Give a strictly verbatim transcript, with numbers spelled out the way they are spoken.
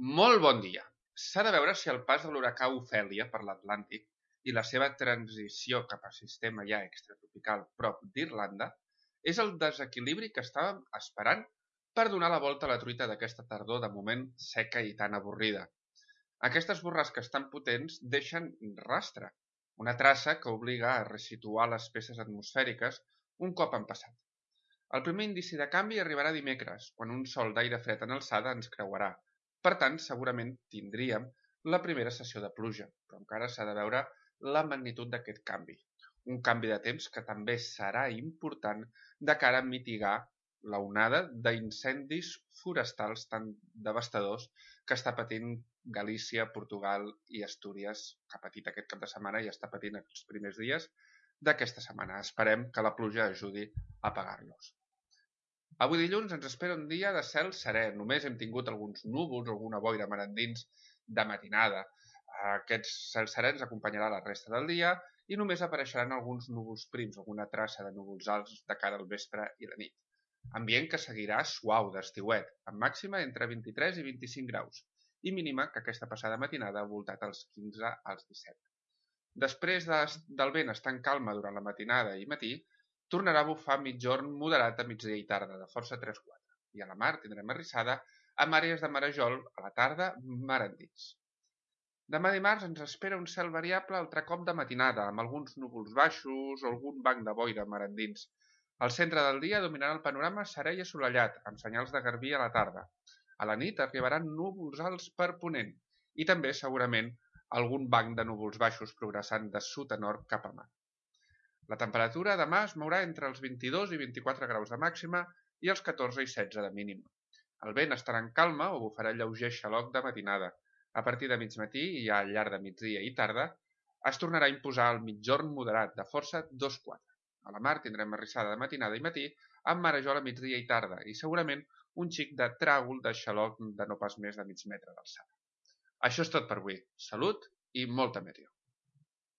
Molt bon dia. S'ha de veure si el pas de l'huracà Ofèlia per l'Atlàntic i la seva transició cap a sistema ja extratropical prop d'Irlanda és el desequilibri que estàvem esperant per donar la volta a la truita d'aquesta tardor de moment seca i tan avorrida. Aquestes borrasques tan potents deixen rastre, una traça que obliga a resituar les peces atmosfèriques un cop han passat. El primer indici de canvi arribarà dimecres, quan un sol d'aire fred en alçada ens creuarà. Per tant, segurament tindríem la primera sessió de pluja, però encara s'ha de veure la magnitud d'aquest canvi. Un canvi de temps que també serà important de cara a mitigar l'onada d'incendis forestals tan devastadors que està patint Galícia, Portugal i Astúries, que ha patit aquest cap de setmana i està patint els primers dies d'aquesta setmana. Esperem que la pluja ajudi a apagar-los. Avui dilluns ens espera un dia de cel serè. Només hem tingut alguns núvols, alguna boira mar endins de matinada. Aquests cels serè ens acompanyarà la resta del dia i només apareixeran alguns núvols prims, alguna traça de núvols alts de cara al vespre i la nit. Ambient que seguirà suau d'estiuet, amb màxima entre vint-i-tres i vint-i-cinc graus, i mínima que aquesta passada matinada ha voltat als quinze als disset. Després de, del vent estar en calma durant la matinada i matí, tornarà a bufar mitjorn moderat a migdia i tarda, de força tres quatre, i a la mar tindrem arrissada amb àrees de marejol a la tarda mar endins. Demà dimarts ens espera un cel variable altre cop de matinada, amb alguns núvols baixos o algun banc de boira mar endins. Al centre del dia dominarà el panorama serè i assolellat, amb senyals de garbí a la tarda. A la nit arribaran núvols alts per ponent, i també, segurament, algun banc de núvols baixos progressant de sud a nord cap a mar. La temperatura demà es mourà entre els vint-i-dos i vint-i-quatre graus de màxima i els catorze i setze de mínima. El vent estarà en calma o bufarà lleuger xaloc de matinada. A partir de migmatí i al llarg de migdia i tarda es tornarà a imposar el mitjorn moderat de força dos quatre. A la mar tindrem arrissada de matinada i matí amb marejol a migdia i tarda i segurament un xic de tràgol de xaloc de no pas més de mig metre d'alçada. Això és tot per avui. Salut i molta meteo.